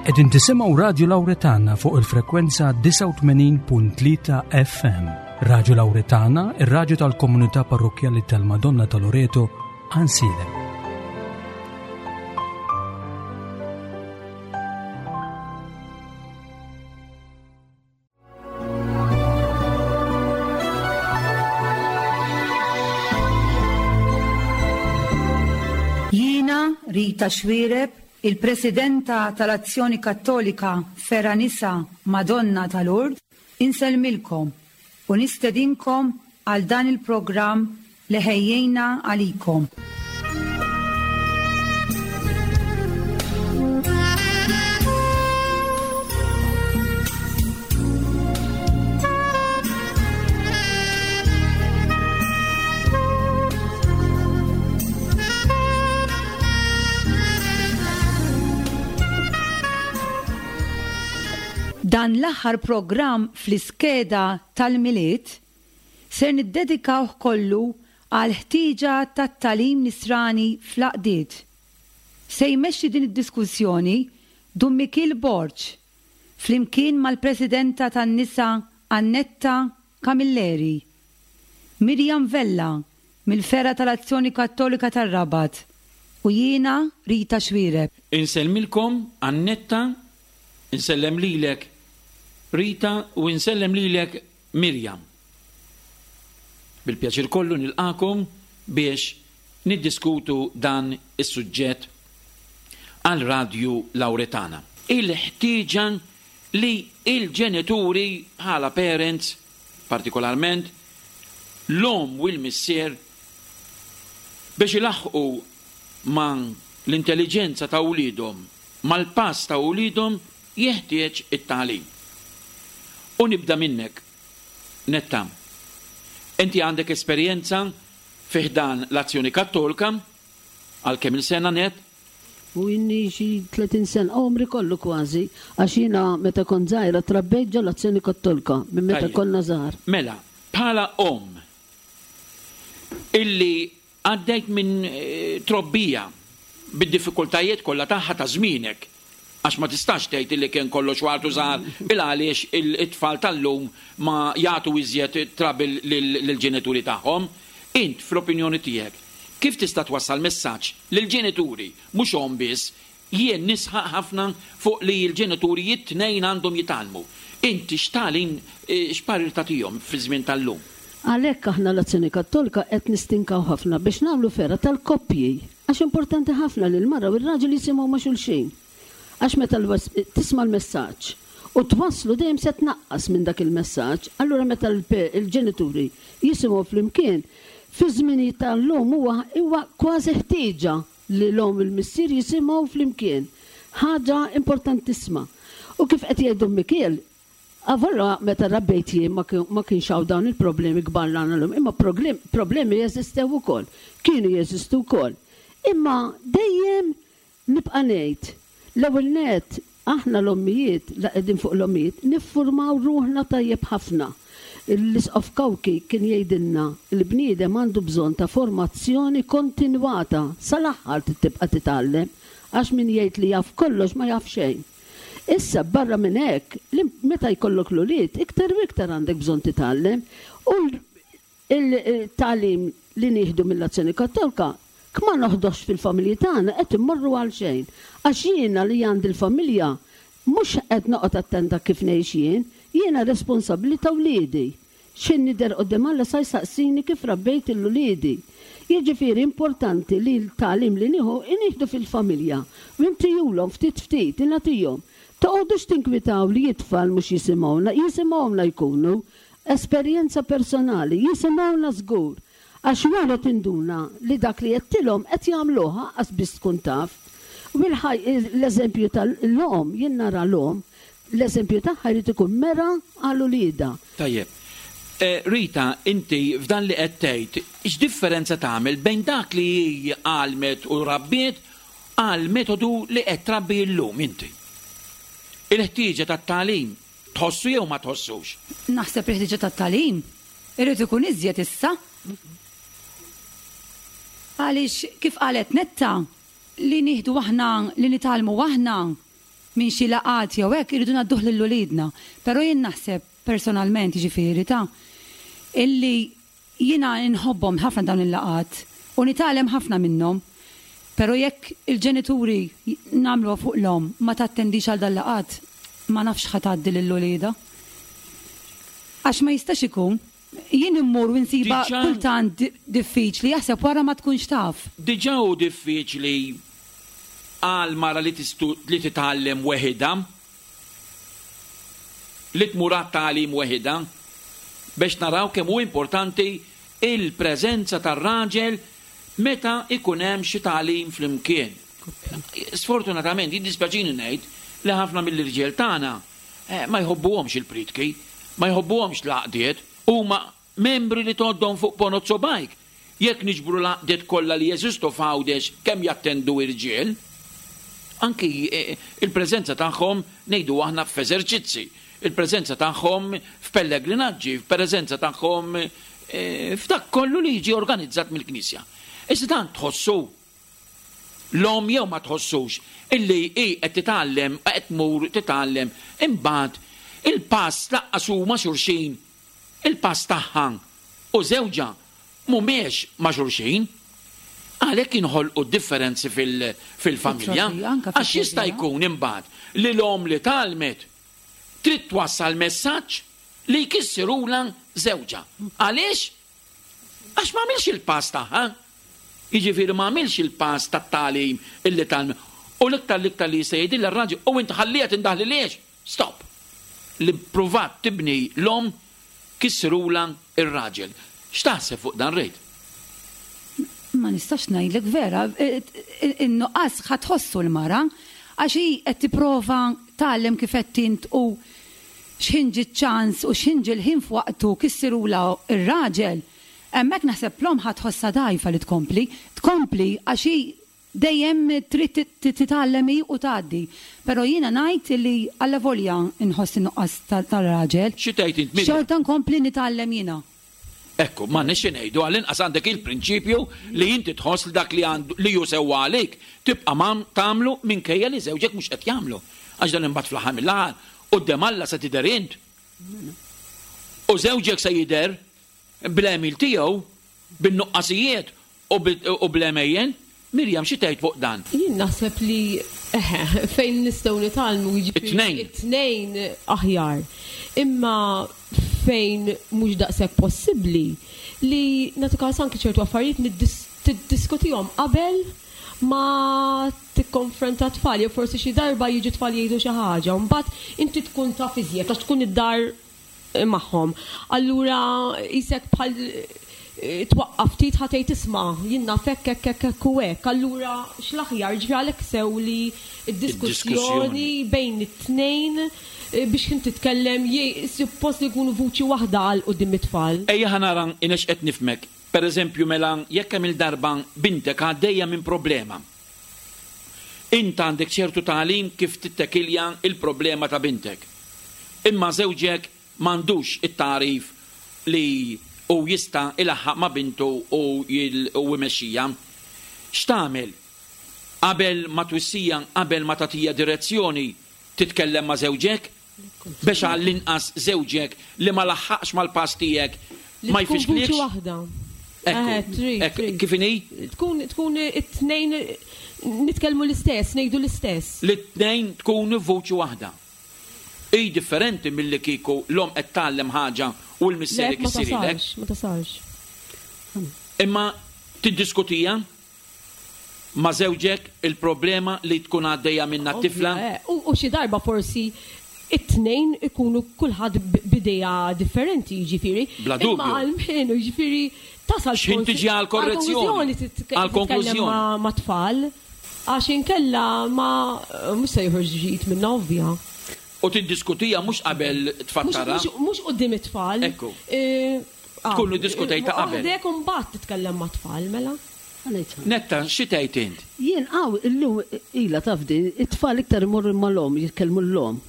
Qegħdin tisimgħu Radju Lawretana fuq il-frekwenza 89.3 FM. Radju Lawretana, ir-radju tal-komunità parrokkjali tal-Madonna ta' Loreto, Ansilem. Jiena Rita Xuereb, il-Presidenta tal-Azzjoni Kattolika Fergħa Nisa Madonna ta' Lourdes, insellmilkom u nistedinkom għal dan il-programm li ħejjejna għalikom. Dan l-aħħar programm fl-iskeda tal-Milied ser niddedikawh kollu għall-ħtieġa tat-tagħlim nisrani fl-għaqdiet. Se jmexxi din id-diskussjoni Dun Mikiel Borg, flimkien mal-Presidenta tan-Nisa Annetta Camilleri, Miriam Vella mill-Fergħa tal-Azzjoni Kattolika tar-Rabat u jiena Rita Xuereb. Insellmilkom Annetta, insellem lilek Rita u insellem lilek Miriam. Bil-pjaċir kollu nilqagħkom biex niddiskutu dan is-suġġett għal Radju Lawretana. Il-ħtieġa li l-ġenituri bħala parents, partikolarment l-omm u l-missier, biex ilaħħqu ma' l-intelliġenza ta' wliedhom, mal-pass ta' wliedhom, Jeħtieġ it-tagħlim. U nibda minnek, Netta. Inti għandek esperjenza fi ħdan l-Azzjoni Kattolka għal kemm-il sena, Net? U inni xi 30 sena, għomri kollu kważi, għax jiena meta kont żgħira trabbejt ġol-Azzjoni Kattolka minn meta konna żgħar. Mela, bħala omm illi Għaddejt minn trobbija bid-diffikultajiet kollha tagħha ta' żmienek, għax ma tistax tgħid illi kien kollox ward u żgħar il-għaliex it-tfal tal-lum ma jagħtu iżjed trouble lill-ġenituri tagħhom. Int, fl-opinjoni tiegħek, kif tista' twassal messaġġ lill-ġenituri, mhux omm biss, Jien nisħaq ħafna fuq li l-ġenituri it-tnejn għandhom jitgħallmu. Inti x'tagħlim, x'parir tagħtihom fiż-żmien tal-lum? Għalhekk aħna l-Azzjoni Kattolika qed nistinkaw ħafna biex nagħmlu fergħa tal-koppji għax importanti ħafna li l-mara u r-raġel jisimgħu ma' xulxin. Għax meta tisma' l-messaġġ u twasslu dejjem se tnaqqas minn dak il-messaġġ, allura meta l-ġenituri jisimgħu flimkien, fiż-żminijiet tal-lum huwa kważi ħtieġa Li l-omm u l-missier jisimgħu flimkien. Ħaġa importantissima. U kif qed jgħid Dun Mikiel, avolja meta rabbejt jien ma kienx hawn dawn il-problemi kbar li għandna llum, imma problemi jeżistew ukoll, kienu jeżistu wkoll. Imma dejjem nibqa' ngħid, l-ewwel nett Aħna l-ommijiet, la qegħdin fuq l-ommijiet, niffurmaw ruħna tajjeb ħafna. L-Isqof Cauchi kien jgħidilna, il-bniedem għandu bżonn ta' formazzjoni kontinwata, sal-aħħar trid tibqa' titgħallem, għax min jgħid li jaf kollox ma jaf xejn. Issa, barra minn hekk, meta jkollok l-ulied, iktar u iktar għandek bżonn titgħallem u Il-tagħlim li nieħdu mill-Azzjoni Kattolka, kma noħdohx fil-familji tagħna qed immorru għalxejn. Għax jiena li għandi l-familja mhux qed noqgħod attenta kif ngħix jien, jiena responsabbli ta' wliedi. X'ħin nidher quddiem Alla sa jsaqsini kif rabbejt 'il uliedi. Jiġifieri importanti li l-tagħlim li nieħu inieħdu fil-familja u intijulhom ftit ftit, ingħatihom. Toqgħodux tinkwitaw li it-tfal mhux jisimgħuna, jisimgħuna jkunu. Esperjenza personali, jisimgħuna żgur, għax wara tinduna li dak li għedtilhom qed jagħmluh aqqas biss tkun taf. U l-eżempju tal-omm, jien nara l-omm, l-eżempju tagħha jrid ikun mera għal uliedha. Tajjeb. Rita, inti f'dan li qed tgħid, x'differenza tagħmel bejn dak li hi għallmet u rabbiet għall-metodu li qed trabbi llum inti? Il-ħtieġa tat-tagħlim Tħossu jew ma tħossux? Naħseb il-ħtieġa tat-tagħlim irid ikun iżjed issa. Għaliex kif qalet Netta, li nieħdu aħna, li nitgħallmu aħna. minn xi laqgħat jew hekk irridu ngħadduh lil uliedna. Però jien naħseb personalment jiġifieri ta' illi jiena nħobbhom ħafna dawn il-laqgħat u nitgħallem ħafna minnhom. Però jekk il-ġenituri nagħmluha fuq l-omm ma tattendix għal dal-laqgħat ma nafx x'ħa tgħaddi lil uliedha. Għax ma jistax ikun. Jien immur u nsibha kultant diffiċli jaħseb wara ma tkunx taf. Diġà hu diffiċli għal mara li li titgħallem weħidha, li tmur għat-tagħlim weħidha, biex naraw kemm hu importanti il-preżenza tar-raġel meta jkun hemm xi tagħlim flimkien. Sfortunatament, jiddispjaċini ngħid li ħafna mill-irġiel tagħna ma jħobbuhomx il-prietki, ma jħobbuhomx l-għaqdiet, huma membri li tgħoddhom fuq ponot subgħajk. Jekk niġbru l-għaqdiet kollha li jeżistu f'Għawdex kemm jattendu irġiel? Anki il-preżenza tagħhom ngħidu aħna f'eżerċizzi, il-preżenza tagħhom f'pellegrinaġġi, il-preżenza tagħhom f'dak kollu li jiġi organizzat mill-Knisja. Issa dan tħossu l-omm jew ma tħossux illi hi qed titgħallem, qed tmur titgħallem, imbagħad il-pass lanqas hu ma' xulxin, il-pass tagħha u żewġha mhumiex ma' xulxin. Għalhekk jinħolqu d-differenzi fil-familja, għax jista' jkun imbagħad li l-omm li tgħallmet trid twassal messaġġ li jkissirulha żewġha. Għaliex? Għax ma għamilx il-pass tagħha. Jiġifieri ma għamilx il-pass tat-tagħlim illi tgħallmet. U l-iktar l-iktar li jista' jgħidilha r-raġel, u int ħalliha tindaħlilhiex! Stop! Li ppruvat tibni l-omm kissirulha r-raġel. X'taħseb fuq dan Reid? Ma nistax ngħidlek vera, in-nuqqas ħa tħossu l-mara għax hi qed tipprova tgħallem kif għedt int u x'ħin ġie ċ-ċans u x'ħin ġie l-ħin f'waqtu kissirulha r-raġel. Hemmhekk naħseb l-omm ħa tħossha dgħajfa li tkompli. Tkompli għax hi dejjem trid titgħallem hi u tgħaddi. Però jiena ngħid li allavolja nħoss in-nuqqas tar-raġel. Xi tgħid int Miriam? Xorta nkompli nitgħallem jiena. Ekku, m'għandniex xi ngħidu, għall-inqas għandek il-prinċipju li inti tħoss li dak li għandu li hu sewwa għalik tibqa' tagħmlu minkejja li żewġek mhux qed jagħmlu. Għax dan imbagħad fl-aħħar mill-aħħar quddiem Alla se tidher int. U żewġek se jidher bl-għemil tiegħu, bin-nuqqasijiet u bl-għemejjel. Miriam, xi tgħid fuq dan? Jien naħseb li, eħe, fejn nistgħu nitgħallmu, jiġifieri it-tnejn aħjar. Imma fejn mhux daqshekk possibbli, li nagħti każ anki ċertu affarijiet tiddiskutihom qabel ma tikkonfronta t-tfal jew forsi xi darba jiġu t-tfal jgħidu xi ħaġa u mbagħad inti tkun taf iżjed għax tkun id-dar magħhom. Allura qisek bħal twaqqaf ftit ħa tgħid isma' jien naf hekk hekk hekk hekk u hekk. Allura x'l-aħjar, jiġifieri għalhekk sew li d-diskussjoni bejn it-tnejn biex ħin titkellem suppost li jkunu vuċi waħda għal quddiem it-tfal. Ejja ħa nara inex qed nifhmek. Per eżempju mela jekk kemm-il darba bintek għaddejja minn problema. Int għandek ċertu tagħlim kif tittekilja l-problema ta' bintek. Imma żewġek m'għandux it-tagħrif li hu jista' jlaħħaq ma' bintu u jmexxija. X'tagħmel? Qabel ma twissija, qabel ma tagħtiha direzzjoni, titkellem ma' żewġek? Biex għall-inqas żewġek li ma laħħaqx mal-pass tiegħek ma jfixklikx? Li tkun vuċi waħda. Ekku, ekku, kif inhi? Tkun, tkun it-tnejn nitkellmu l-istess, ngħidu l-istess. Li t-tnejn tkunu f'vuċi waħda. Hi differenti milli kieku l-omm qed tgħallem ħaġa u l-missier ikissirhielek. Le, ma tasalx, ma tasalx. Imma tiddiskutiha? ma' żewġek il-problema li tkun għaddejja minnha t-tifla? U xi darba forsi it-tnejn ikunu kulħadd b'idea differenti, jiġifieri. Bla dubju. Imma almenu, jiġifieri, tasal. X'ħin tiġi għall-korrezzjoni. Għall-konklużjoni. Mat-tfal. Għax inkella ma mhux se joħroġ ġid minnha ovvja. U tiddiskutiha mhux qabel tfattarha. Mhux quddiem it-tfal. Ekku. Tkunu ddiskutejtha qabel. Waħdek u mbagħad titkellem mat-tfal, mela. Netta, xi tgħid int? Jien hawn illum ilha taf din, it-tfal iktar imorru mal-omm, jitkellmu l-omm.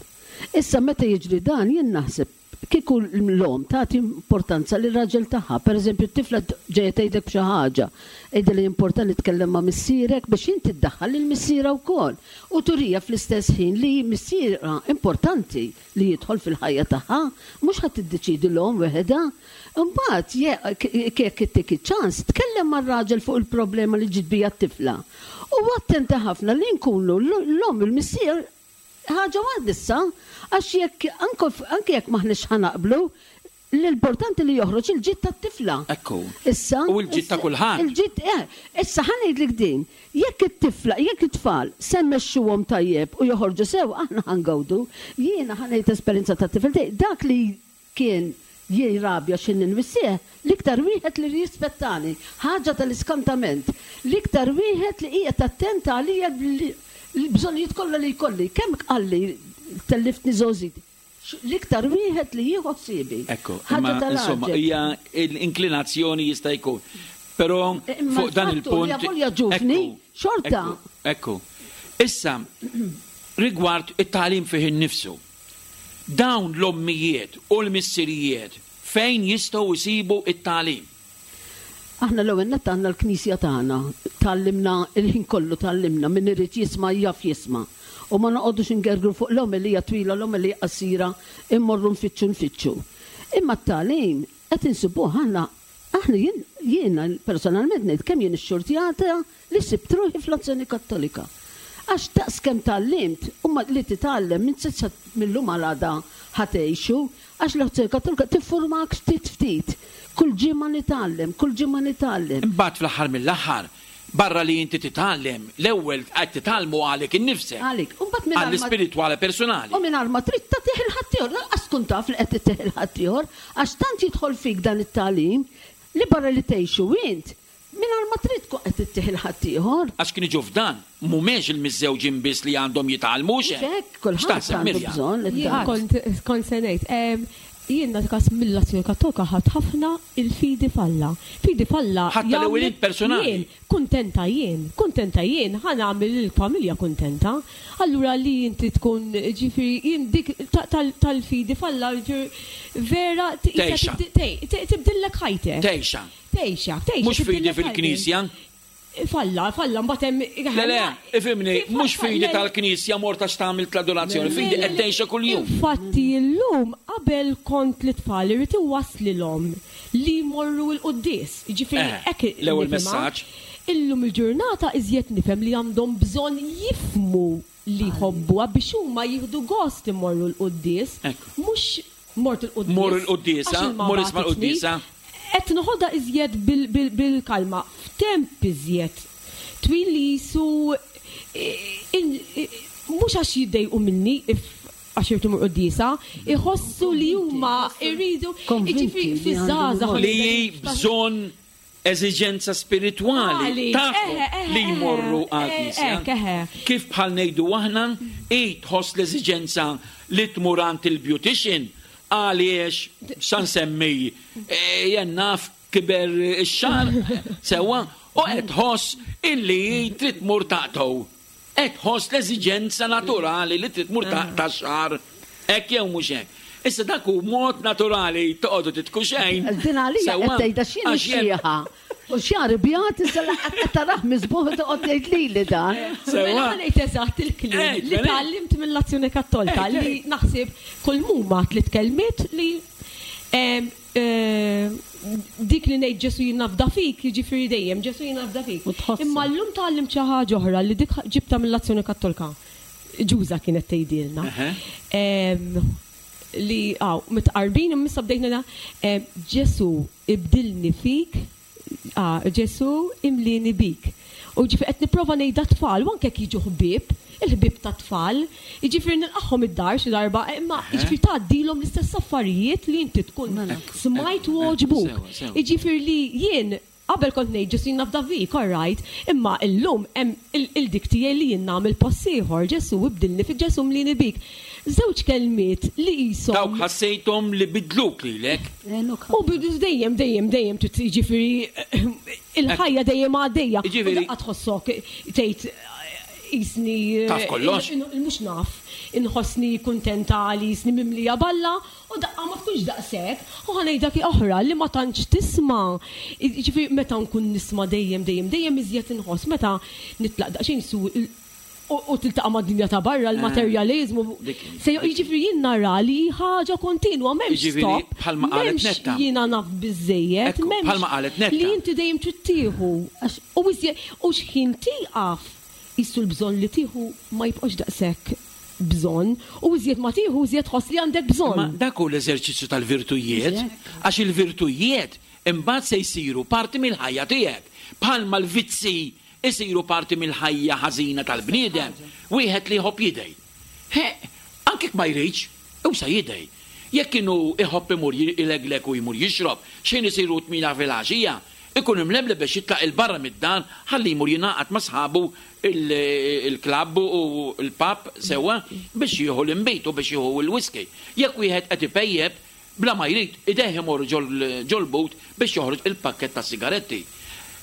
Issa meta jiġri dan jien naħseb. Kieku l-omm tagħti importanza lir-raġel tagħha, pereżempju t-tifla ġejja tgħidlek b'xi ħaġa, għidilha jimporta li tkellem ma' missierek biex inti ddaħħal lil missierha wkoll u turiha fl-istess ħin li missierha importanti li jidħol fil-ħajja tagħha, mhux ħa tiddeċiedi l-omm weħedha. Imbagħad jekk ittik iċ-ċans, tkellem mar-raġel fuq il-problema li ġiet biha t-tifla. U attenta ħafna li nkunu l-omm u l-missier Ħaġa waħda issa, għax jekk anke jekk m'aħniex ħa naqblu, l-importanti li joħroġ il-ġid tat-tifla. Ekku. Issa. U l-ġid ta' kulħadd. Il-ġid, eh. Issa ħa ngħidlek din, jekk it-tifla, jekk it-tfal se mmexxuhom tajjeb u joħorġu sew, aħna ħa ngawdu. Jiena ħa ngħid esperjenza tat-tifel tiegħi, dak li Kien jirrabja xi ninwissih, l-iktar wieħed li rrispettani, ħaġa tal-iskantament, l-iktar wieħed li qiegħed attent għalija l-bżonnijiet kollha li jkolli, kemm qalli telliftni żgħożiti, l-iktar wieħed li jieħu ħsiebi. Ekku, imma insomma hija l-inklinazzjoni jista' jkun. Però fuq dan il-punt. Imma l-fattu li avolja ġuvni, xorta. Ekku. Issa, rigward it-tagħlim fih innifsu. Dawn l-ommijiet u l-missirijiet fejn jistgħu jsibu t-tagħlim? Aħna l-ewwel nett għandna l-Knisja tagħna, tgħallimna il-ħin kollu tgħallimna, min irid jisma' jaf jisma'. U ma noqogħdux ingergru fuq l-omelija twila, l-omelija qasira, immorru nfittxu nfittxu. Imma t-tagħlim qed insibuh aħna Aħna jien, jiena personalment ngħid kemm jien ixxurtjata li sibt ruħi fl-Azzjoni Kattolika. Għax daqs kemm tgħallimt u ma li titgħallem m'int se mil-lum għal għada ħa tgħixu, għax l-Azzjoni Kattolika tiffurmak ftit ftit. Kull ġimgħa nitgħallem, kull ġimgħa nitgħallem. Imbagħad fl-aħħar mill-aħħar, barra li inti titgħallem, l-ewwel qed titgħallmu għalik innifsek. Għalik. U mbagħad mingħajr ma. Għall-ispiritwale personali. U mingħajr ma trid tagħtih 'il ħaddieħor, lanqas tkun taf li qed ittih 'il ħaddieħor, għax tant jidħol fik dan it-tagħlim li barra li tgħixu int, mingħajr ma trid tkun qed ittih 'il ħaddieħor. Għax kien iġu f'dan, mhumiex il-miżżewġin biss li għandhom jitgħallmu, hux hekk? Mhux hekk, kulħadd għandu bżonn it-tagħlim. Jien kont kont se ngħid. Jien nagħti każ mill-Azzjoni Kattolika ħadt ħafna il-fidi f'Alla. Fidi f'Alla Ħadtha l-ewwel int personali. Jien, kuntenta jien, kuntenta jien, ħa nagħmel lill-familja kuntenta. Allura li inti tkun, ġifieri jien dik tal-fidi f'Alla, ġifieri vera Tgħixha. Tibdillek ħajtek. Tgħixha. Tgħixha, tgħixha. Mhux fidi fil-Knisja. Falla, falla, mbagħad hemm. Le, le, ifhimni, mhux fidi tal-Knisja mort għax tagħmel l-adorazzjoni, fidi qed tgħixha kuljum. Infatti llum qabel kont lit-tfal irrid iwasslilhom li jmorru l-quddies. Jiġifieri hekk L-ewwel messaġġ. Illum il-ġurnata iżjed nifhem li għandhom bżonn jifhmu li jħobbuha biex huma jieħdu gost imorru l-quddies, mhux mort il-quddies. Mur il-quddiesa, mur isma' l-quddiesa. Qed noħodha iżjed bil-kalma, f'temp iżjed twil li qisu mhux għax jiddejqu minni għax irrid imur quddiesa, iħossu li huma jridu, jiġifieri fiż-żgħażagħ. Li hi bżonn eżiġenza spiritwali tagħhom li jmorru għall-knisja. Kif bħal ngħidu aħna, hi tħoss l-eżiġenza li tmur għand il-beautician għaliex sa nsemmi jien naf kiber ix-xagħar sewwa u qed tħoss illi hi trid tmur taqtgħu. Qed tħoss l-eżiġenza naturali li trid tmur taqta' x-xagħar. Hekk jew mhux hekk? Issa dak hu mod naturali toqgħodu titku xejn. Din għalija qed tgħidha x'jien ix-xiħa. U xagħri bjad issa laqgħet qed tarah miżbugħ u toqgħod tgħid lili dan. Mela ħa ngħid eżatt il-kliem li tgħallimt mill-Azzjoni Kattolika li naħseb kull m'huma tliet kelmiet li Dik li ngħid Ġesù jien nafda fik, jiġifieri dejjem Ġesù jien nafda fik. Imma llum tgħallimt xi ħaġa oħra li dik ġibtha mill-Azzjoni Kattolka. Ġuża kienet tgħidilna. Li hawn mitqarbin imma issa bdejt ngħidha Ġesù ibdilni fik Ah, Ġesù imlieni bik. U jiġifieri qed nipprova ngħidha t-tfal, u anke jekk jiġu ħbieb, il-ħbieb tat-tfal, jiġifieri nilqagħhom id-dar xi darba, imma jiġifieri tgħaddilhom l-istess affarijiet li inti tkun smajt u għoġbuk. Jiġifieri li jien qabel kont ngħid Ġesù jien nafda fik, all right, imma illum hemm il-dik tiegħi li jien nagħmel pass ieħor, Ġesù ibdilni fik, Ġesù mlieni bik. Żewġ kelmiet li qishom. Dawk ħassejthom li biddluk lilek. U bidu dejjem, dejjem, dejjem trid jiġifieri il-ħajja dejjem għaddejja. Jiġifieri. Daqqa tħossok tgħid. Qisni. Taf kollox? Mhux naf. Inħossni kuntenta li qisni mimlija b'Alla u daqqa ma tkunx daqshekk. U ħa ngħidlek oħra li ma tantx tisma'. Jiġifieri meta nkun nisma' dejjem dejjem dejjem iżjed inħoss meta nitlaq daqsxejn su u tiltaqa' mad-dinja ta' barra, l-materjaliżmu. Jiġifieri jien nara li hi ħaġa kontinwa, m'hemmx stop. M'hemmx jiena naf biżżejjed, m'hemmx li inti dejjem trid tieħu. U iżjed u x'ħin tieqaf qisu l-bżonn li tieħu ma jibqax daqshekk bżonn u iżjed ma tieħu iżjed tħoss li għandek bżonn. Imma dak hu l-eżerċizzju tal-virtujiet, għax il-virtujiet imbagħad se jsiru parti mill-ħajja tiegħek. Bħalma l-vizzji jsiru parti mill-ħajja ħażina tal-bniedem, wieħed li jħobb jidgħi. Ħeqq, anke jekk ma jridx, hu se jidgħi. Jekk inhu jħobb imur ilegleg u jmur jixrob, x'ħin isiru t-tmiena filgħaxija, Ikun imlebleb biex jitlaq 'il barra mid-dar ħalli jmur jingħaqad ma' sħabu l-klabb u l-pub sewwa biex jieħu l-inbid u biex jieħu l-whisky. Jekk wieħed qed ipejjep, bla ma jrid, idejh imorru ġol-but biex joħroġ il-pakkett tas-sigaretti.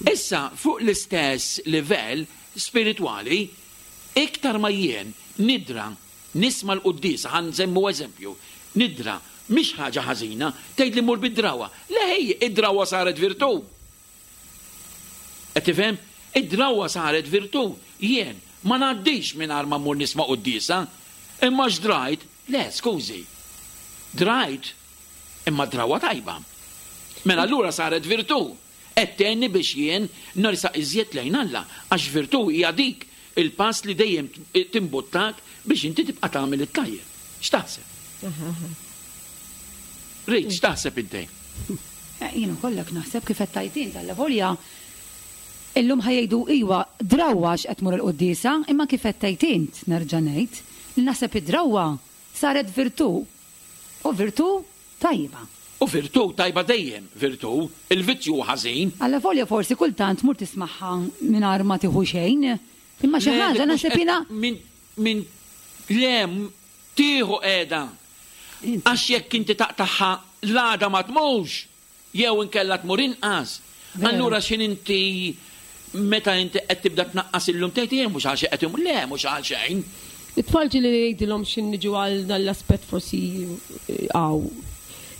Issa, fuq l-istess livell spiritwali, iktar ma jien nidra Nisma' l-quddiesa, ħa nsemmu eżempju, nidra, mhix ħaġa ħażina, tgħidli mur bid-drawwa. Le ħej, id-drawwa saret virtù. Qed tifhem? Id-drawwa saret virtù. Jien ma ngħaddix mingħajr ma mmur nisma' quddiesa. Imma x'drajt? Le, skużi. Drajt, imma drawwa tajba. Mela allura saret virtù. Qed tgħinni biex jien nersaq iżjed lejn Alla, għax virtù hija dik il-pass li dejjem timbuttak biex inti tibqa' tagħmel it-tajjeb. X'taħseb? Rit, x'taħseb inti? Jien ukoll hekk naħseb kif qed tgħid int, allavolja illum ħa jgħidu iwa drawwa għax qed tmur il-quddiesa, imma kif qed tgħid int, nerġa' ngħid, li naħseb id-drawwa saret virtù u virtù tajba. U virtù tajba dejjem virtù, il-vizzju hu ħażin. Allavolja forsi kultant tmur tismagħha mingħajr ma tieħu xejn, imma xi ħaġa naħseb jiena. Min, min, le, tieħu qiegħda. Għax jekk inti taqtagħha l-għada ma tmurx. Jew inkella tmur inqas. Allura x'ħin inti meta inti qed tibda tnaqqas illum tgħid jien mhux għal xejn qed imur. Le, mhux għal xejn. It-tfal ġieli ngħidilhom x'ħin niġu għal dan l-aspett forsi hawn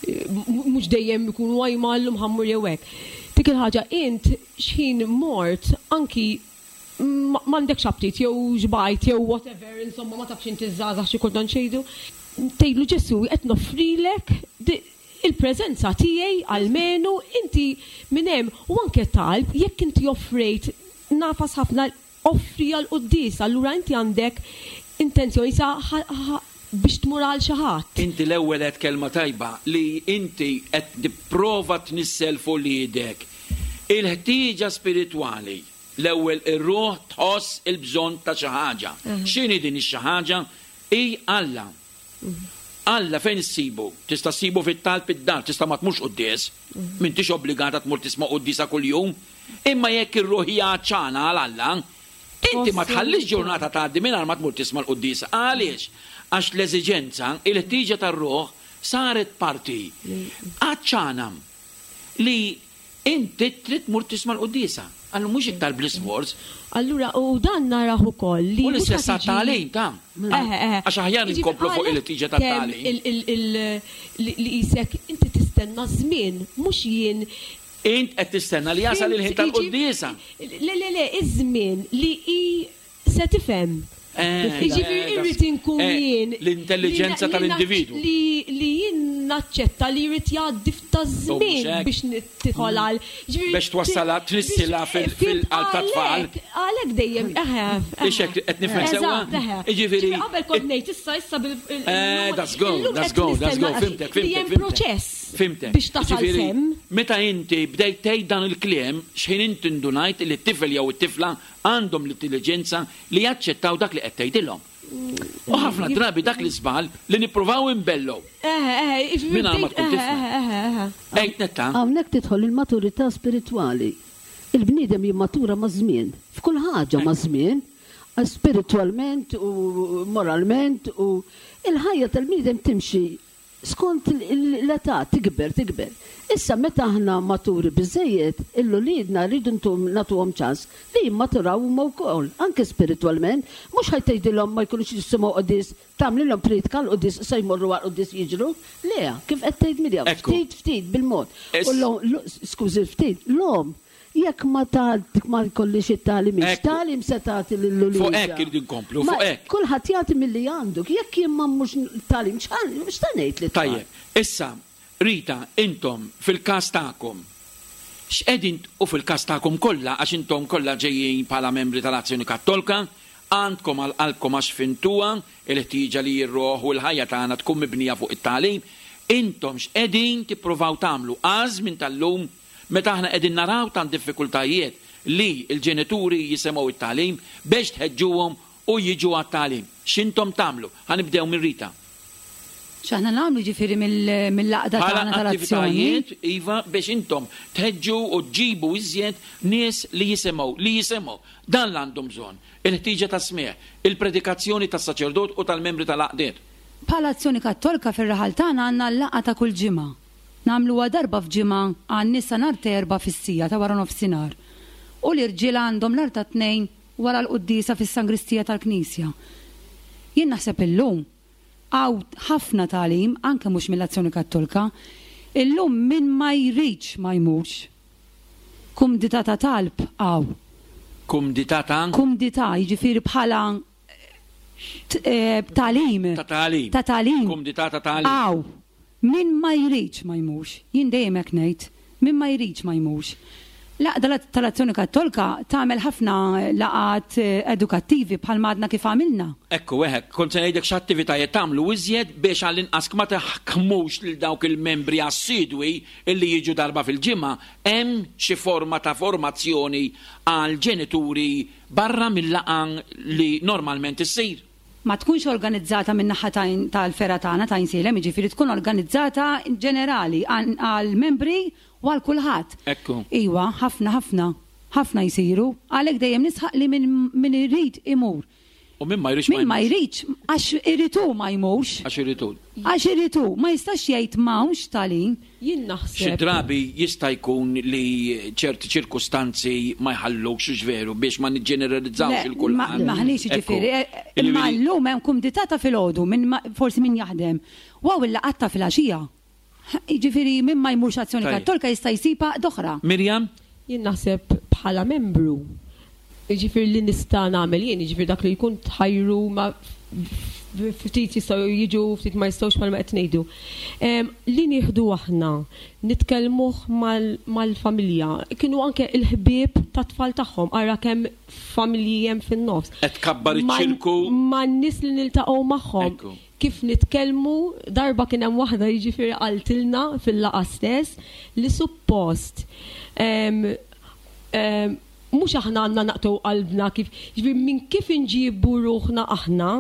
mhux dejjem ikunu għajma llum ħa mmur jew hekk. Dik il-ħaġa int x'ħin mort anki m'għandekx aptit jew xbajt jew whatever, insomma ma tafx inti ż-żgħażagħ xi kultant x'jgħidu, tgħidlu Ġesù qed noffrilek il-preżenza tiegħi almenu inti minn hemm u anke talb jekk inti offrejt nafas ħafna offri għall-quddiesa allura inti għandek intenzjoni sa biex tmur għal xi ħadd. Inti l-ewwel għedt kelma tajba li inti qed tipprova tnissel f'uliedek il-ħtieġa spiritwali. L-ewwel ir-ruħ tħoss il-bżonn ta' xi ħaġa. X'inhi din ix-xi ħaġa? Hi Alla. Alla fejn issibu? Tista' ssibu fit-talb id-dar, tista' ma tmurx quddies. M'intix obbligata tmur tisma' quddiesa kuljum. Imma jekk ir-ruħ hija għatxana għal Alla, inti ma tħallix ġurnata tgħaddi mingħajr ma tmur tisma' l-quddiesa. Għaliex? Għax l-eżiġenza, il-ħtieġa tar-ruħ saret parti għatxana li Inti trid tmur tisma' l-quddiesa. Allura mhux iktar bl-isforz. Allura u dan narah ukoll li. U l-istess għat-tagħlim ta'. Eħe, eħe. Għax aħjar inkomplu fuq il-ħtieġa tat-tagħlim. Li qisek inti tistenna ż-żmien, mhux jien. Int qed tistenna li jasal il-ħin tal-quddiesa. Le, le, le, iż-żmien li hi Se tifhem. Jiġifieri irrid inkun jien. L-intelliġenza tal-individwu. Li jien naċċetta li jrid jgħaddi ftit żmien biex tidħol għal. Biex twassalha, tnissilha fil-qalb tat-tfal. Għalhekk dejjem, eħe. Hix hekk qed nifhem sewwa? Eżatt, eħe. Jiġifieri. Qabel kont ngħid issa issa bil. That's go, that's go, that's go, fhimtek, fhimtek. Li hemm proċess. Fhimtek. Biex tasal s'hemm. Meta inti bdejt tgħid dan il-kliem, x'ħin inti ndunajt li t-tifel jew it-tifla Għandhom l-intelliġenza li jaċċettaw dak li qed tgħidilhom. U ħafna drabi dak l-iżball li nippruvaw inbellgħu. Mingħajr ma tkun tifhem. Għid Netta. Hawnhekk tidħol il-maturità spiritwali. Il-bniedem jimmatura maż-żmien, f'kull ħaġa maż-żmien, spiritwalment u moralment u il-ħajja tal-bniedem timxi. Skont l-età tikber, tikber. Issa meta aħna maturi biżżejjed, il-uliedna rridu nagħtuhom ċans li jimmaturaw huma wkoll, anke spiritwalment. Mhux ħa tgħidilhom ma jkunux jisimgħu quddies, tagħmlilhom prietka għall-quddies issa jmorru għall-quddies jiġru. Le, kif qed tgħid Miriam, ftit ftit bil-mod. U l-omm, skużi ftit, l-omm Jekk ma ma jkollhiex it-tagħlim hi, x'tagħlim se tagħti lil uliedha? Fuq hekk irridu nkomplu, fuq hekk. Kulħadd jagħti milli għandu. Jekk jien ma mmurx tagħlim, x'se ngħid lit-tfal? Tajjeb. Issa, Rita, intom fil-każ tagħkom, x'qegħdin u fil-każ tagħkom kollha għax intom kollha ġejjin bħala membri tal-Azzjoni Kattolka, għandkom għal qalbkom għax fhimtuha l-ħtieġa li r-ruħ u l-ħajja tagħna tkun mibnija fuq it-tagħlim, intom x'qegħdin tippruvaw tagħmlu għaż-żmien tal-lum Meta aħna qegħdin naraw tant diffikultajiet li l-ġenituri jisemgħu t-tagħlim bex tħeġġuhom u jiġu għat-tagħlim. X'intom tagħmlu? Ħa nibdew minn Rita. X'aħna nagħmlu jiġifieri mill-għaqda Bħala tagħna tal-azzjoni? attivitajiet, iva, biex intom tħeġġu u ġġibu iżjed nies li jisimgħu, li jisimgħu. Dan l-għandhom bżonn. Il-ħtieġa tas-smigħ, il-predikazzjoni tas-saċerdot u tal-membri tal-għaqdiet. Bħala Azzjoni Kattolka fir-raħal tagħna għandna l-laqgħa ta' kull ġimgħa. Nagħmluha darba f'ġimgħa għan-nisa nhar t'Erbgħa fis-siegħa ta' waranofsinhar u l-irġiel għandhom nhar ta' Tnejn wara l-quddiesa fis-sangristija tal-knisja. Jien naħseb illum hawn ħafna tagħlim anke mhux mill-Azzjoni Kattolka. Illum min ma jridx ma jmurx. Kumdità ta' talb hawn. Kumdità ta'? Kumdità, jiġifieri bħala tagħlim. Ta' tagħlim. Ta' tagħlim. Kumdità ta' tagħlim. Hawn. Min ma jridx ma jmurx. Jien dejjem hekk ngħid. Min ma jridx ma jmurx. L-Għaqda tal-Azzjoni Kattolka tagħmel ħafna laqgħat edukattivi bħalma għadna kif għamilna. Ekku, eħe, kont se ngħidlek x'attivitajiet tagħmlu iżjed biex għall-inqas ma taħkmux lil dawk il-membri assidwi illi jiġu darba fil-ġimgħa, hemm xi forma ta' formazzjoni għall-ġenituri barra mil-laqgħa li normalment issir. Ma tkunx organizzata min-naħa tal-fergħa tagħna ta' Għajnsielem, jiġifieri tkun organizzata ġenerali għall-membri u għal kulħadd. Ekku. Iwa, ħafna, ħafna, ħafna jsiru. Għalhekk dejjem nisħaq li min irid imur. U min ma jridx ma jmurx. Min ma jridx, għax irid hu ma jmurx. Għax irid hu. Għax irid hu, ma jistax jgħid m'hawnx tagħlim. Jien naħseb. Xi drabi jista' jkun li ċerti ċirkustanzi ma jħallukx, hux veru, biex ma niġġeneralizzawx il kulħadd. Le, m'aħniex jiġifieri. Imma llum hemm kumdità ta' filgħodu minn forsi min jaħdem. U hawn il-laqgħat ta' filgħaxija. Jiġifieri min ma jmurx Azzjoni Kattolika jista' jsib għaqda oħra. Miriam? Jien naħseb bħala membru, jiġifieri li nista' nagħmel jien, jiġifieri dak li jkun tħajru ma ftit jistgħu jiġu, ftit ma jistgħux bħalma qed ngħidu. Li nieħdu aħna, nitkellmuh mal-familja, kienu anke l-ħbieb tat-tfal tagħhom, ara kemm familji hemm fin-nofs. Qed tkabbar iċ-ċirku. Man-nies li niltaqgħu magħhom. Kif nitkellmu, darba kien hemm waħda jiġifieri qaltilna fil-laqgħa stess li suppost mhux aħna għandna naqtgħu qalbna kif, jiġifieri minn kif inġibu ruħna aħna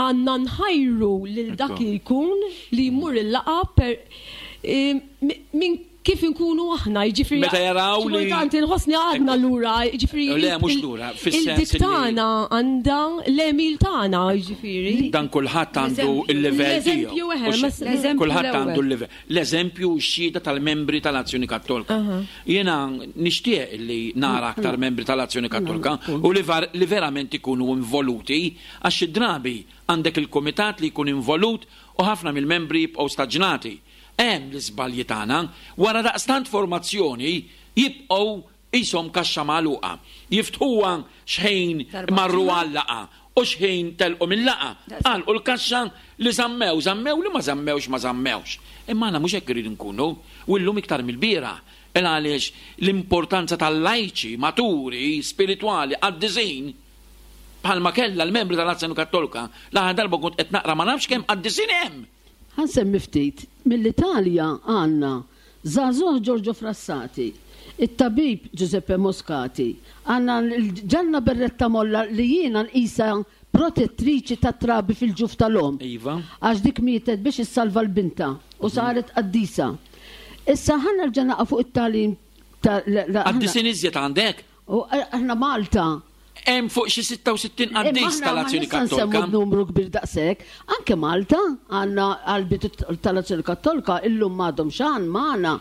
għandna nħajru lil dak li jkun li jmur il-laqgħa per minn kif inkunu aħna, jiġifieri. Meta jaraw li. Xi kultant inħossni għadna lura, jiġifieri. Le, mhux lura, fis-sens. Il-dik tagħna għandha l-għemil tagħna, jiġifieri. Dan kulħadd għandu l-livell tiegħu. L-eżempju, eħe. Kulħadd għandu l-livell. L-eżempju u x-xhieda tal-membri tal-Azzjoni Kattolka. Jiena nixtieq li nara aktar membri tal-Azzjoni Kattolka u li verament ikunu involuti għax xi drabi għandek il-kumitat li jkun involut u ħafna mill-membri jibqgħu staġnati. Hemm l-iżbalji tagħna, wara daqstant formazzjoni jibqgħu qishom kaxxa magħluqa. Jiftħuha x'ħin marru għal-laqgħa u x'ħin telqu mil-laqgħa, għalqu l-kaxxa, li żammew, żammew, li ma żammewx, ma żammewx. Imma aħna mhux hekk irridu nkunu, u llum iktar mill-bieraħ, il għaliex l-importanza tal-lajċi maturi, spiritwali, qaddisin, bħalma kellha l-membri tal-Azzjoni Kattolka, l-aħħar darba kont qed naqra ma nafx kemm qaddisin hemm! Ħa nsemmi ftit, mill-Italja għandna żagħżugħ Giorgio Frassati, it-tabib Giuseppe Moscati, għandna lil Gianna Berretta Molla li jiena nqisha protettriċi tat-trabi fil-ġuf tal-omm. Iva. Għax dik mietet biex issalva 'l bintha u saret qaddisa. Issa ħa nerġa' naqa' fuq it-tagħlim ta' Qaddisin iżjed għandek? U aħna Malta. Hemm fuq xi 66 qaddis tal-Azzjoni Kattolka. Imma numru kbir daqshekk. Anke Malta għandna għall-bidu tal-Azzjoni Kattolka illum m'għadhom xan magħna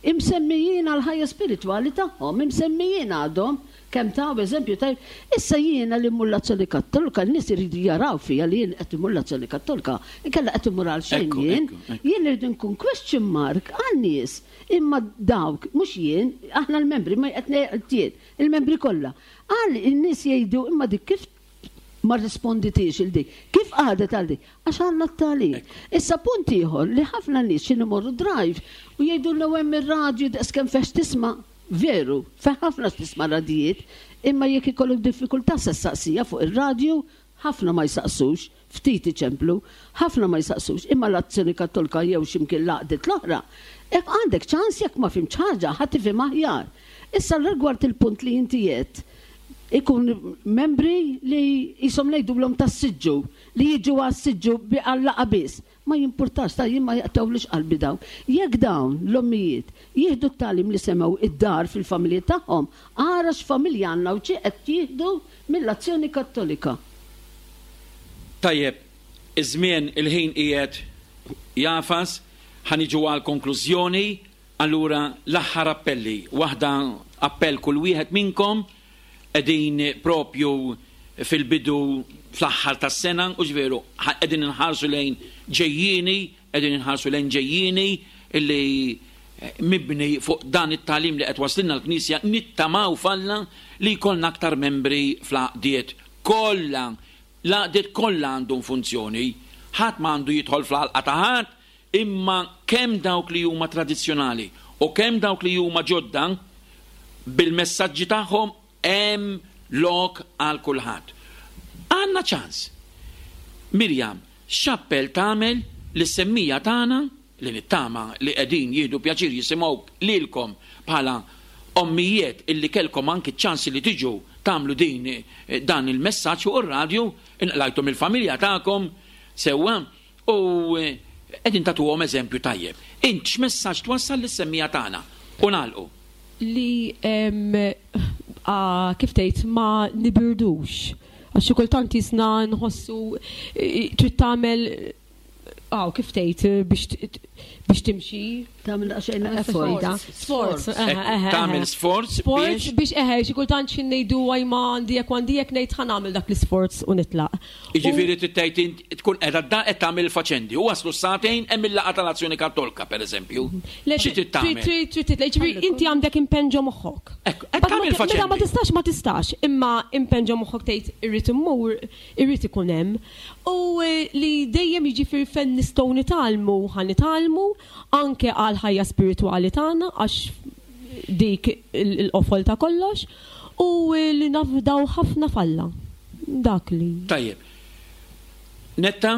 imsemmijin għall-ħajja spiritwali tagħhom, imsemmijin għadhom kemm taw eżempju tajjeb. Issa jiena li mmur l-Azzjoni Kattolka, n-nies iridu jaraw fija li jien qed immur l-Azzjoni Kattolka, inkella qed immur għal xejn jien. Jien irrid inkun question mark għan-nies, imma dawk, mhux jien, aħna l-membri, ma qed ngħid jien, il-membri kollha. Għal in-nies jgħidu imma dik kif ma rrisponditix il dik? Kif qagħdet għal dik? Għax għandna t-tagħlim. Issa punt ieħor li ħafna nies x'inhu imorru drive u jgħidulna u hemm ir-radju daqs kemm fih x'tisma'. Veru, fih ħafna x'tisma' radijiet, imma jekk ikollok diffikultà se ssaqsija fuq ir-radju, ħafna ma jsaqsux, ftit iċemplu, ħafna ma jsaqsux, imma l-Azzjoni Kattolika jew xi mkien l-għaqdiet l-oħra, hekk għandek ċans jekk ma fhimtx ħaġa ħa tifhimha aħjar. Issa rigward il-punt li inti għedt, ikun membri li qishom ngħidulhom tas-siġġu, li jiġu għas-siġġu għal-laqgħa biss. Ma jimpurtax, ta' jien ma jaqtgħulix qalbi dawn. Jekk dawn, l-ommijiet, jieħdu t-tagħlim li semgħu id-dar fil-familji tagħhom, ara x'familja għandna u xi qed jieħdu mill-Azzjoni Kattolika. Tajjeb, iż-żmien, il-ħin qiegħed jagħfas, ħa niġu għall-konklużjoni, allura l-aħħar appelli, waħda appell kull wieħed minnkom, Qegħdin propju fil-bidu fl-aħħar tas-sena, hux veru, qegħdin inħarsu lejn ġejjieni, qegħdin inħarsu lejn ġejjieni li mibni fuq dan it-tagħlim li qed twasslilna l-Knisja, nittamaw f'Alla li jkollna aktar membri fl-għaqdiet kollha. L-għaqdiet kollha għandhom funzjoni. Ħadd ma għandu jidħol fl-għalqa ta' ħadd, Imma kemm dawk li huma tradizzjonali u kemm dawk li huma ġodda, bil-messaġġi tagħhom hemm lok għal kulħadd. Għandna ċans. Miriam, x'appell tagħmel lis-semmiegħa tagħna, li nittama li qegħdin jieħdu pjaċir jisimgħuk lilkom bħala ommijiet illi kellkom anki ċ-ċans li tiġu tagħmlu din dan il-messaġġ fuq ir-radju, inqlajtu mill-familja tagħkom sewwa, U qegħdin tagħtuhom eżempju tajjeb. Int x'messaġġ twassal lis-semmiegħa tagħna? U nagħlqu. Li kif tgħid ma nibirdux. Għax xi kultant jisna nħossu trid tagħmel aw kif tgħid biex timxi. Tagħmel daqsxejn effort. Sforz. Tagħmel sforz biex. Biex eħe, xi kultant xi ngħidu għaj ma għandi hekk għandi hekk ngħid ħa nagħmel dak l-isforz u nitlaq. Jiġifieri trid tgħid int tkun qiegħda d-dar qed tagħmel il-faċendi u waslu s-sagħtejn hemm il-laqgħa tal-Azzjoni Kattolka, pereżempju. Xi trid tagħmel? Trid trid jiġifieri inti għandek impenn ġo moħħok. Ekku, qed tagħmel il-faċendi. Meta ma tistax ma tistax, imma impenn ġo moħħok tgħid irrid immur, irrid ikun hemm. U li dejjem jiġifieri fejn nistgħu nitgħallmu ħa nitgħallmu anke għall-ħajja spiritwali tagħna għax dik il-qofol ta' kollox u li nafdaw ħafna f'Alla. Dak li. Tajjeb. Netta?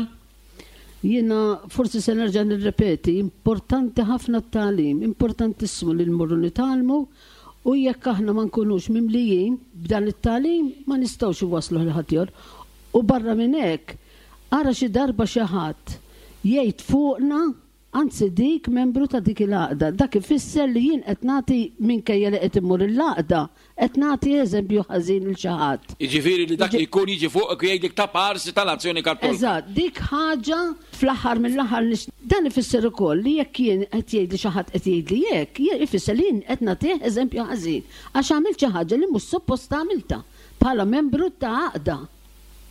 Jiena forsi se nerġa' nirrepeti, importanti ħafna t-tagħlim, importantissimu li nmorru nitgħallmu u jekk aħna ma nkunux mimlijin b'dan it-tagħlim ma nistgħux inwassluh lil ħaddieħor. U barra minn hekk, ara xi darba xi ħadd jgħid fuqna Anzi dik membru ta' dik il-għaqda. Dak ifisser li jien qed nagħti minkejja li qed immur il-għaqda, qed nagħti eżempju ħażin lil xi ħadd. Jiġifieri li dak li jkun jiġi fuqek u jgħidlek ta' parsi tal-Azzjoni Kattolika. Eżatt, dik ħaġa fl-aħħar mill-aħħar nix Dan ifisser ukoll li jekk jien qed jgħidli xi ħadd qed jgħidli hekk, ifisser li jien qed nagħtih eżempju ħażin għax għamilt xi ħaġa li mhux suppost għamiltha bħala membru ta' għaqda.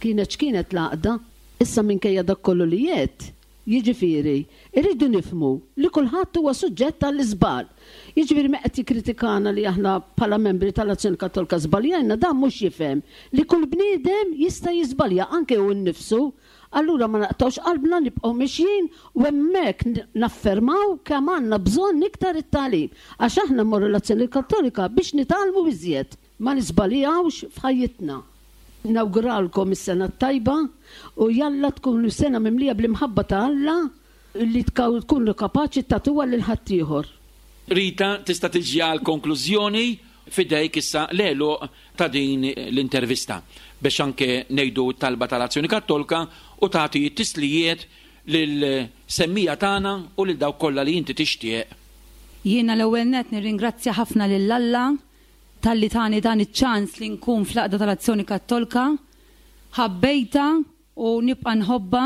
Kienet x'kienet l-għaqda. Issa minkejja dak kollu li għedt, Jiġifieri, irridu nifhmu li kulħadd huwa suġġett għall-iżball. Jiġifieri meta qed jikkritikana li aħna bħala membri tal-Azzjoni Kattolika żbaljajna, dan mhux jifhem li kull bniedem jista' jiżbalja anke hu nnifsu. Allura ma naqtgħux qalbna, nibqgħu mixjin u hemmhekk naffermaw kemm għandna bżonn iktar it-tagħlim. Għax aħna mmorru l-Azzjoni Kattolika biex nitgħallmu iżjed. Ma niżbaljawx f'ħajjitna. Nawguralkom is-sena t-tajba u jalla tkun sena mimlija bl-imħabba ta' Alla li tkunu kapaċi tagħtuha lil ħaddieħor. Rita, tista' tiġi għall-konklużjoni, f'idejk issa l-għeluq ta' din l-intervista biex anke ngħidu t-talba tal-Azzjoni Kattolka u tagħti t-tislijiet lill-semmiegħa tagħna u lil dawk kollha li inti tixtieq. Jiena l-ewwel nett nirringrazzja ħafna lil Alla. talli tani dan iċ-ċans li nkun fl-Għaqda tal-Azzjoni Kattolka. Ħabbejtha u nibqa' nħobbha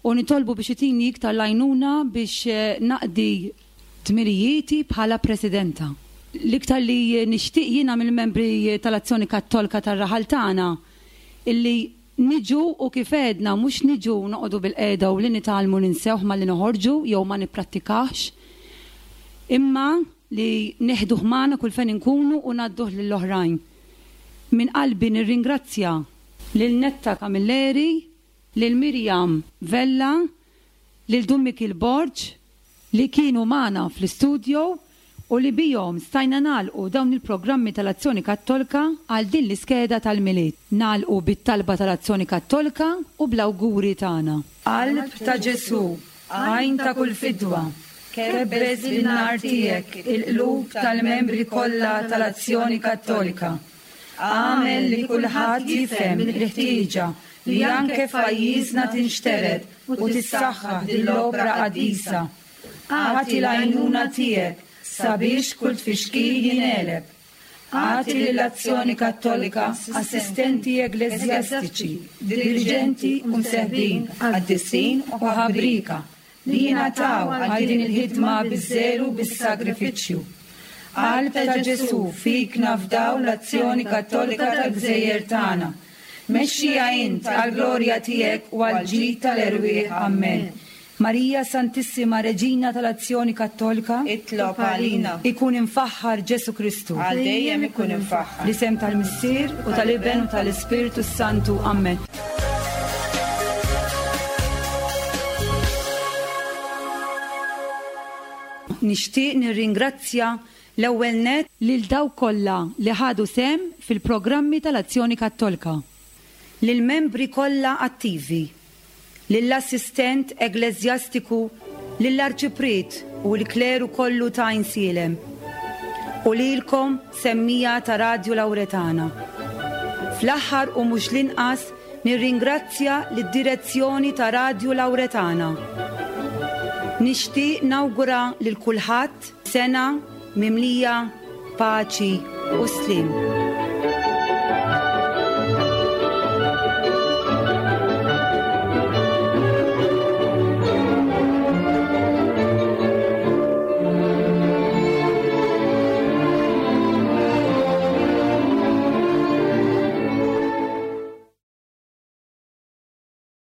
u nitolbu biex itini iktar l-għajnuna biex naqdi dmirijieti bħala Presidenta. L-iktar li nixtieq jiena mill-membri tal-Azzjoni Kattolka tar-raħal tagħna illi niġu u kif għedna mhux niġu noqogħdu bilqiegħda u li nitgħallmu ninsewh malli noħorġu jew ma nipprattikahx imma li neħduh magħna kull fejn inkunu u ngħadduh lill-oħrajn. Minn qalbi nirringrazzja lil Netta Camilleri, lil Miriam Vella, lil Dun Mikiel Borg li kienu magħna fl-istudio u li bihom stajna nagħlqu dawn il-programmi tal-Azzjoni Kattolka għal din l-iskeda tal-Milied. Nagħlqu bit-talba tal-Azzjoni Kattolka u bl-awguri tagħna. Qalb ta' Ġesù, għajn ta' kull fidwa, kebbes bin-nar tiegħek il-qlub tal-membri kollha tal-Azzjoni Kattolika. Agħmel li kulħadd jifhem il-ħtieġa li anke f'pajjiżna tinxtered u tissaħħaħ din l-opra qaddisa. Agħti l-għajnuna tiegħek sabiex kull tfixkil jingħeleb. Agħti lill-Azzjoni Kattolika assistenti eggleżjastiċi, diriġenti u mseħbin qaddisin u ħabrieka li jingħataw għal din il-ħidma biż-żelu u bis-sagrifiċċju. Qalb ta' Ġesù, fik nafdaw l-azzjoni Kattolika tal-gżejjer tagħna. Mexxiha int għall-glorja tiegħek u għall-ġid tal-erwieħ. Ammen. Marija Santissima Reġina tal-Azzjoni Kattolika, Itlob għalina. Ikun imfaħħar Ġesù Kristu. Għal dejjem ikun imfaħħar. Fl-isem tal-Missier, u tal-Iben, u tal-Ispirtu s-Santu. Ammen. Nixtieq nirringrazzja l-ewwel nett lil dawk kollha li ħadu sehem fil-programmi tal-Azzjoni Kattolka, lill-membri kollha attivi, lill-assistent eggleżjastiku, lill-arċipriet u l-kleru kollu ta' Għajnsielem, u lilkom semmiegħa ta' Radju Lawretana. Fl-aħħar u mhux l-inqas nirringrazzja lid-direzzjoni ta' Radju Lawretana. Nixtieq nawgura lil kulħadd sena mimlija paċi u sliem.